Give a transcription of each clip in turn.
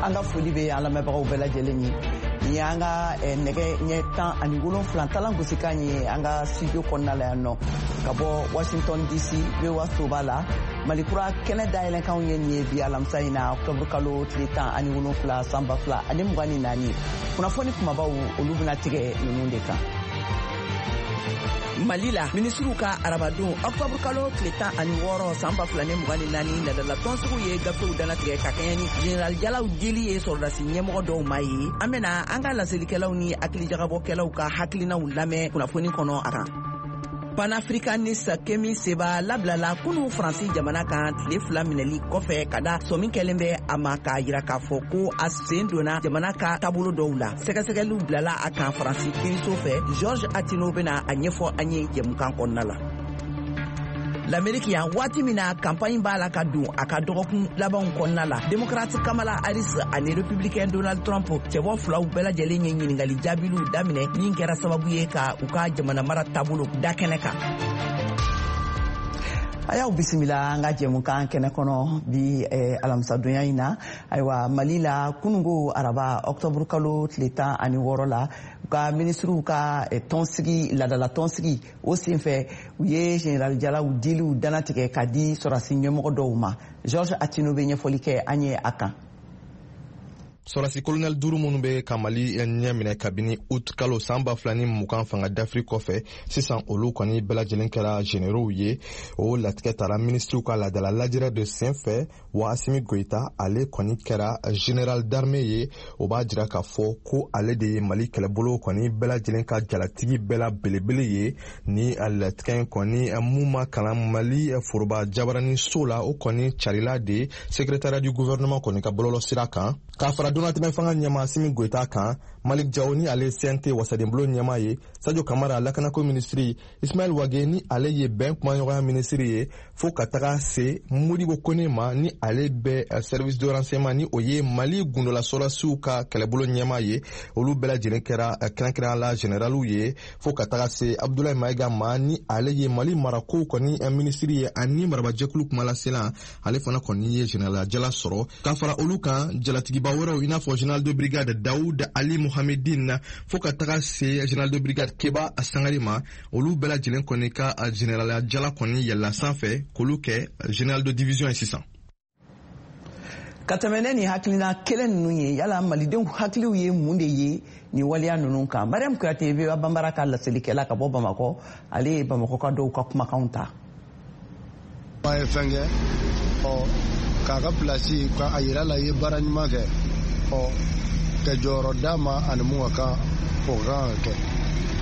An ka foli bɛ an lamɛnbagaw bɛɛ lajɛlen ye. Nin y'an ka nɛgɛ ɲɛ 17 talan gosikan ye an ka studio kɔnɔna la yan nɔ ka bɔ Washington DC, VOA soba la. Mali Kura kɛnɛ dayɛlɛnkanw ye nin ye bi alamisa in na, octobre kalo tile 17, san 2024. Kunnafoni kumabaw, olu bɛna tigɛ ninnu de kan. Mali la, minisiriw ka arabadon octobre kalo tile 16, san 2024, ladala tɔnsigiw ye gafew danatigɛ ka kɛɲɛ ni général jalaw dili ye sɔrɔdasi ɲɛmɔgɔ dɔw ma ye. An bena an ka laselikɛlaw ni hakilijagabɔkɛlaw ka hakilinaw lamɛn kunnafoni kɔnɔ a kan. Panafricaniste Kemi Seba labilala kunu Faransi jamana kan tile 2 minɛli kɔfɛ, ka da sɔmi kɛlen bɛ a ma k'a yira k'a fɔ ko a sen donna jamana ka taabolo dɔw la. Sɛgɛsɛgɛliw bilala a kan Faransi kiiriso fɛ. George Atino bena a ɲɛfɔ an ye jɛmukan kɔnɔna la. Lamɛriki yan, waati min na kanpaɲi b'a la ka don a ka dɔgɔkun labanw kɔnɔna la, Démocrate Kamala Harris ani Républicain Donald Trump, cɛbɔ filaw bɛɛ lajɛlen ye ɲiningali jaabiliw daminɛ min kɛra sababu ye ka u ka jamana mara taabolo da kɛnɛ kan. A y'aw bisimila an ka jɛmukan kɛnɛ kɔnɔ bi alamisadonya in na. Ayiwa, Mali la, kunungo araba octobre kalo tile 16 la, u ka minisiriw ka tɔnsigi, ladala tɔnsigi, o senfɛ u ye général jalaw diliw danatigɛ ka di sɔrɔdasi ɲɛmɔgɔ dɔw ma. George Atino bɛ ɲɛfɔli kɛ an ye a kan. Sɔrɔdasi kolonɛli duuru minnu bɛ ka Mali ɲɛ minɛ kabini ut kalo san 2020 fanga dafiri kɔfɛ, sisan olu kɔni bɛɛ lajɛlen kɛra généraux ye. O latigɛ tara minisiriw ka ladala lajɛrɛ de sen fɛ. Wa Asimi Goyita, ale kɔni kɛra général d'armée ye. O b'a jira k'a fɔ ko ale de ye Mali kɛlɛbolo kɔni bɛɛ lajɛlen ka jalatigi bɛɛ la belebele ye. Ni latigɛ in kɔni mun ma kalan Mali foroba jabarani so la, o kɔni carila de secrétariat du gouvernement kɔni ka bɔlɔlɔ sira kan. K'a fara donatɛmɛ fanga ɲɛma Asimi Goyita kan, Malik Jawo, ni ale ye CNT wasadenbulon ɲɛma ye, Sadio Kamara, lakanako minisiri, Ismail Wage, ni ale ye bɛn kumaɲɔgɔnya minisiri ye, fo ka taga se Modibo Kone ma, ni ale bɛ service de renseignement, ni o ye Mali gundola sɔrɔdasiw ka kɛlɛbolo ɲɛma ye, olu bɛɛ lajɛlen kɛra kɛrɛnkɛrɛnya la généraliw ye, fo ka taga se Abdoulaye Mayiga ma, ni ale ye Mali marakow kɔni minisiri ye ani marabajɛkulu kumalasela, ale fana kɔni ye général jala sɔrɔ. Ka fara olu kan, jalatigiba wɛrɛw, i n'a fɔ général de brigade Daoud Ali Mohamedine, fo ka taga se général de brigade Keba Sangare ma, olu bɛɛ lajɛlen kɔni ka général jala kɔni yɛlɛla sanfɛ k'olu kɛ général de division ye sisan. Ka tɛmɛ ne ni hakilina kelen ninnu ye, yala malidenw hakiliw ye mun de ye nin waleya ninnu kan? Mariam Kuyate, VOA Banbara ka laselikɛla ka bɔ Bamakɔ, ale ye Bamakɔ ka dɔw ka kumakanw ta. A ye fɛn kɛ ɔ k'a ka pilasi ka a yira la i ye baara ɲuman kɛ, ɔ ka jɔyɔrɔ d'a ma ani mun ka kan, o ka kan ka kɛ.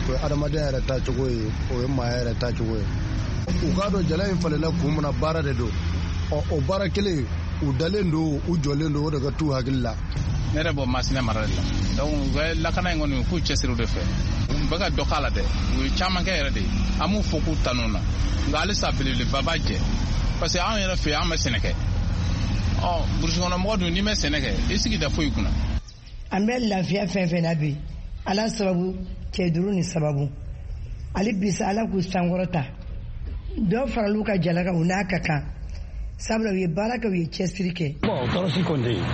O ye adamadenya yɛrɛ taacogo ye, o ye maaya yɛrɛ taacogo ye. U k'a dɔn jala in falenna kun min na, baara de don. Ɔ o baara kelen, u dalen don, u jɔlen don, o de ka t'u hakili la. Ne yɛrɛ bɔ Masina mara de la. Donc u bɛ lakana in kɔni, u k'u cɛsiri de fɛ. U bɛ ka dɔ k'a la dɛ, u ye caman kɛ yɛrɛ de. An b'u fo k'u tanu na, nka halisa belebeleba b'a jɛ, parce que anw yɛrɛ fɛ yen, an bɛ sɛnɛ kɛ. Ɔ burusi kɔnɔ mɔgɔ dun, n'i ma sɛnɛ kɛ, i sigi da foyi kunna. An bɛ lafiya fɛn fɛn na bi, Ala sababu, cɛ duuru ni sababu. Ale bisa, Ala k'u sankɔrɔta, dɔ faral'u ka jala kan, u n'a ka kan, sabula u ye baara kɛ, u ye cɛsiri kɛ. Bon, tɔɔrɔ si kɔni tɛ yen.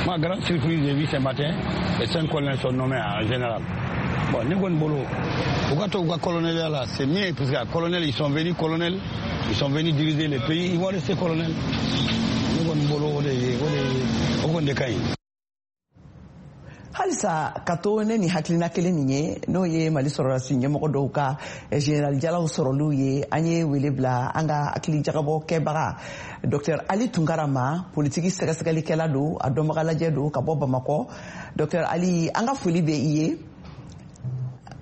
Ma grande surprise, j'ai vu ce matin, les cinq colonels sont nommés en général. Bon, ne kɔni bolo, u ka to u ka colonel la, c'est mieux, parce que colonel, ils sont venus colonel, ils sont venus diriger le pays, ils vont rester colonel. Ne kɔni bolo, o de ye o de ye o kɔni de ka ɲi. Halisa ka to ne ni hakilina kelen nin ye, n'o ye Mali sɔrɔdasi ɲɛmɔgɔ dɔw ka général jalaw sɔrɔliw ye, an ye wele bila an ka hakili jagabɔ kɛbaga Dr Ali Tunkara ma. Politiki sɛgɛsɛgɛlikɛla don, a dɔnbaga lajɛ don, ka bɔ Bamakɔ. Dr Ali, an ka foli bɛ i ye.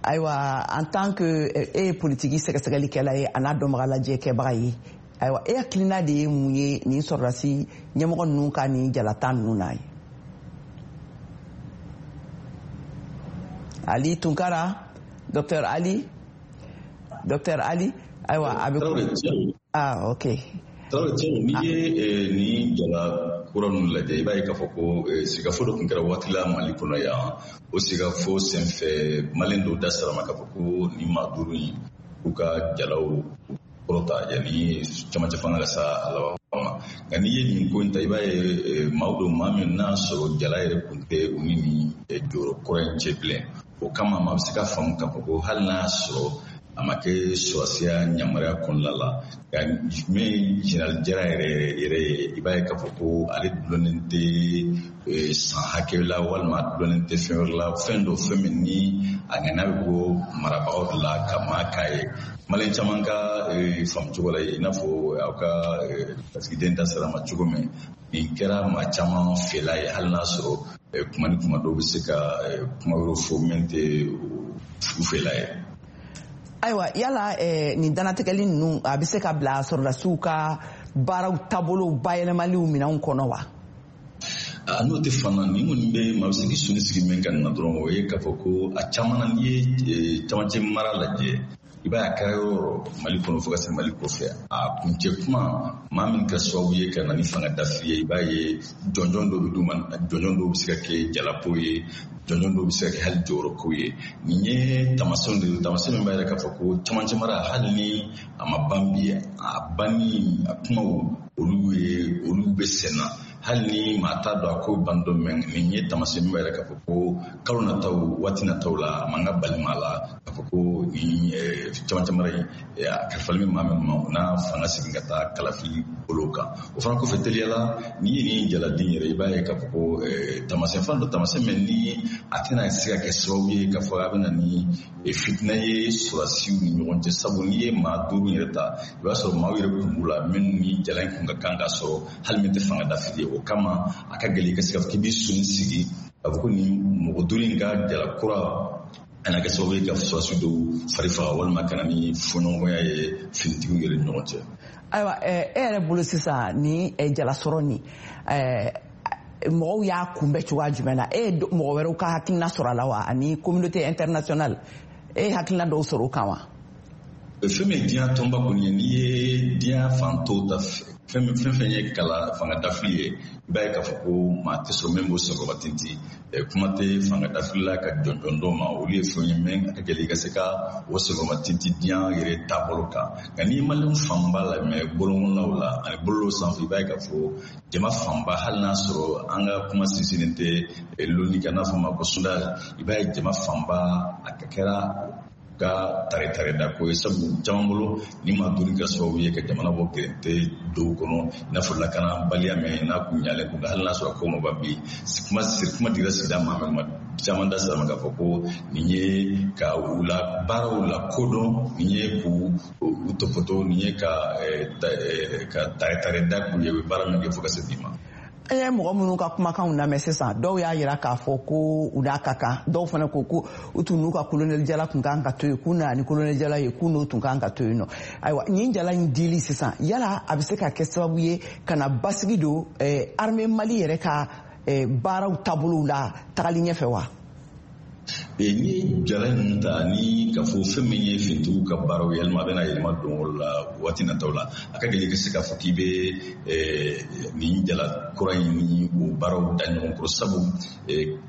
Ayiwa, en tant que e ye politiki sɛgɛsɛgɛlikɛla ye, a n'a dɔnbaga lajɛ kɛbaga ye, ayiwa, e hakilina de ye mun ye nin sɔrɔdasi ɲɛmɔgɔ ninnu ka nin jalata ninnu na ye? Ali Tunkara, Dr Ali, Dr Ali, ayiwa, a bɛ, ah, ok. Tarawele, n'i ye nin jala kura ninnu lajɛ, i b'a ye k'a fɔ ko sigafo dɔ tun kɛra waati la Mali kɔnɔ yan. O sigafo senfɛ, Maliyɛn dɔw da sara ma k'a fɔ ko nin maa duuru in, k'u ka jalaw kɔrɔta yanni camancɛ fanga ka sa a laban. ma. Nka n'i ye nin ko in ta, i b'a ye maaw don, maa min n'a sɔrɔ jala yɛrɛ kun tɛ u ni nin jɔyɔrɔ kɔrɔ in cɛ bilen. O kama maa bɛ se ka faamu k'a fɔ ko hali n'a sɔrɔ a ma kɛ sɔrɔsiya yamaruya kɔnɔna la, nka min général Jara yɛrɛ yɛrɛ ye, i b'a ye k'a fɔ ko ale dulonnen tɛ san hakɛ la walima a dulonnen tɛ fɛn wɛrɛ la, fɛn dɔ, fɛn min ni a ŋaniya bɛ bɔ marabagaw de la ka maa k'a ye. Maliyɛn caman ka faamu cogo la, i n'a fɔ aw ka lasigiden da sera ma cogo min, nin kɛra maa caman fɛla ye, hali n'a sɔrɔ kuma ni kuma dɔw bɛ se ka kuma wɛrɛw fɔ min tɛ u fɛla ye. Ayiwa, yala nin dannatigɛli ninnu, a bɛ se ka bila sɔrɔdasiw ka baaraw taabolow bayɛlɛmaliw minɛnw kɔnɔ wa? N'o tɛ fana, nin kɔni bɛ maa bɛ se k'i sɔnni sigi min kan na dɔrɔn, o ye k'a fɔ ko a caman na, n'i ye camancɛ mara lajɛ, i b'a ye a kɛra yɔrɔ Mali kɔnɔ fo ka se Mali kɔfɛ, a kuncɛ kuma, maa min kɛra sababu ye ka na ni fanga dafiri ye, i b'a ye jɔnjɔn dɔw bɛ d'u ma, jɔnjɔn dɔw bɛ se ka kɛ jalako ye, jɔnjɔn dɔw bɛ se ka kɛ hali jɔyɔrɔko ye. Nin ye taamasiyɛnw de ye, taamasiyɛn min b'a yira k'a fɔ ko camancɛ mara, hali ni a ma ban bi, a banni a kumaw olu ye olu bɛ sen na, hali ni maa t'a dɔn a ko ban don mɛn. Nin ye taamasiyɛn min b'a yira k'a fɔ ko kalo nataw, waati nataw la, a man ka bali maa la k'a fɔ ko nin camancɛ mara in, a kalifalen bɛ maa min ma, o n'a fanga segin ka taa kalafili bolo kan. O fana kɔfɛ, teliya la, n'i ye nin jaladen yɛrɛ, i b'a ye k'a fɔ ko taamasiyɛn fana dɔ, taamasiyɛn min ni a tɛna se ka kɛ sababu ye k'a fɔ a bɛ na ni fitinɛ ye sɔrɔdasiw ni ɲɔgɔn cɛ, sabu n'i ye maa 5 yɛrɛ ta, i b'a sɔrɔ maaw yɛrɛ kun b'u la minnu ni jala in kun ka kan ka sɔrɔ, hali min tɛ fanga dafili ye. O kama a ka gɛlɛn i ka se k'a fɔ k'i b'i sɔnni sigi k'a fɔ ko nin mɔgɔ 5 in ka jala kura a na kɛ sababu ye ka sɔrɔdasi dɔw fari faga walima ka na ni fɔɲɔgɔnya ye finitigiw yɛrɛ ni ɲɔgɔn cɛ. Ayiwa, e yɛrɛ bolo sisan, ni jalasɔrɔ nin, mɔgɔw y'a kunbɛn cogoya jumɛn na? E ye mɔgɔ wɛrɛw ka hakilina sɔrɔ a la wa, ani communauté internationale, e ye hakilina dɔw sɔrɔ o kan wa? Fɛn min ye diɲɛ tɔnba kɔni ye, n'i ye diɲɛ fan tɔw ta, fɛn fɛn ye kala fanga dafili ye, i b'a ye k'a fɔ ko maa tɛ sɔrɔ min b'o senkɔrɔba tintin. Kuma tɛ fanga dafili la ka jɔnjɔn dɔw ma, olu ye fɛn ye min a ka gɛlɛn i ka se ka o senkɔrɔba tintin diɲɛ yɛrɛ taabolo kan. Nka n'i ye maliyɛn fanba lamɛn bɔlɔnkɔnɔnaw la ani bɔlɔlɔ sanfɛ, i b'a ye k'a fɔ jama fanba, hali n'a sɔrɔ an ka kuma sinsinnen tɛ lonni kan, n'a fɔ ma ko sondage, i b'a ye jama fanba a kɛra ka tare tare da ko ye, sabu caman bolo ni maa 5 kɛra sababu ye ka jamana bɔ gɛrɛntɛ dɔw kɔnɔ, i n'a fɔ lakanabaliya min n'a kun ɲalen kun, hali n'a sɔrɔ ko ma ban bi, kuma kuma dira sigida maa min ma, caman da sera ma k'a fɔ ko nin ye ka u la baaraw la kodɔn, nin ye k'u u tɔpɔtɔ, nin ye ka tare tare da k'u ye, u ye baara min kɛ fo ka se bi ma. An ye mɔgɔ minnu ka kumakanw lamɛn sisan, dɔw y'a yira k'a fɔ ko u n'a ka kan, dɔw fana ko ko u tun n'u ka kolonɛli jala tun kan ka to yen, k'u nana ni kolonɛli jala ye, k'u n'o tun kan ka to yen nɔ. Ayiwa, nin jala in dili sisan, yala a bɛ se ka kɛ sababu ye ka na basigi don armée Mali yɛrɛ ka baaraw taabolow la tagali ɲɛfɛ wa? N'i ye jala ninnu ta ni k'a fɔ fɛn min ye finitigiw ka baaraw yɛlɛma, a bɛna yɛlɛma don o la waati nataw la, a ka gɛlɛn i ka se k'a fɔ k'i bɛ nin jala kura in ni o baaraw da ɲɔgɔn kɔrɔ, sabu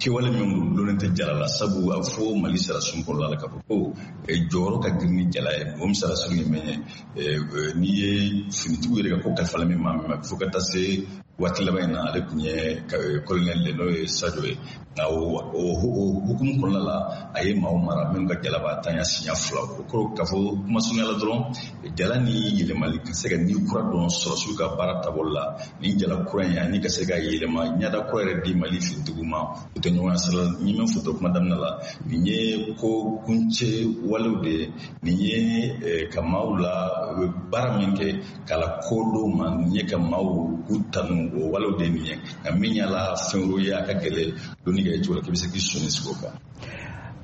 kɛwale min don dulonnen tɛ jala la, sabu a fɔ Mali sarasun kɔnɔna la k'a fɔ ko jɔyɔrɔ ka girin ni jala ye. Mɔgɔ min sarasun ye min ye, n'i ye finitigiw yɛrɛ ka ko kalifalen min maa min ma fo ka taa se waati laban in na, ale tun ye colonel de, n'o ye Sadio ye. Nka o hukumu kɔnɔna la, a ye maaw mara minnu ka jala b'a tanya siɲɛ 2. O kɔrɔ k'a fɔ kuma surunya la dɔrɔn, jala ni yɛlɛmali ka se ka ni kura dɔn sɔrɔsiw ka baara taabolo la, ni jala kura in ani ka se ka yɛlɛma ɲɛda kura yɛrɛ di Mali finitigiw ma, o tɛ ɲɔgɔn sira la. Ni min fɔ kuma daminɛ la, nin ye ko kuncɛ walew de ye, nin ye ka maaw la baara min kɛ k'a la kodɔn ma, nin ye ka maaw k'u tanu, o walew de ye nin ye. Nka min y'a la fɛn wɛrɛw ye, a ka gɛlɛn donni kɛ cogo la k'i bɛ se k'i sɔnni sigi o kan.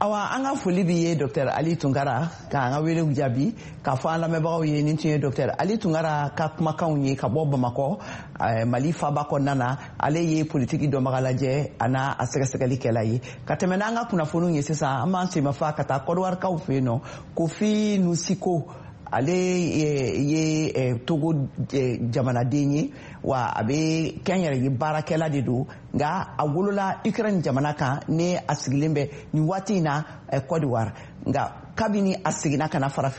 Awa, an ka foli b'i ye, Dr Ali Tunkara, k'an ka welew jaabi. K'a fɔ an lamɛnbagaw ye, nin tun ye Dr Ali Tunkara ka kumakanw ye ka bɔ Bamakɔ, Mali faba kɔnɔna na. Ale ye politiki dɔnbaga lajɛ a n'a a sɛgɛsɛgɛlikɛla ye. Ka tɛmɛ n'an ka kunnafoniw ye sisan, an b'an senmafa ka taa Kɔdiwarikaw fɛ yen nɔ. Kofi Nusiko, ale ye Togo jamanaden ye, wa a bɛ kɛnyɛrɛye baarakɛla de don, nka a wolola Ukraine jamana kan, ni a sigilen bɛ nin waati in na Côte d'Ivoire. Nka kabini a seginna ka na farafin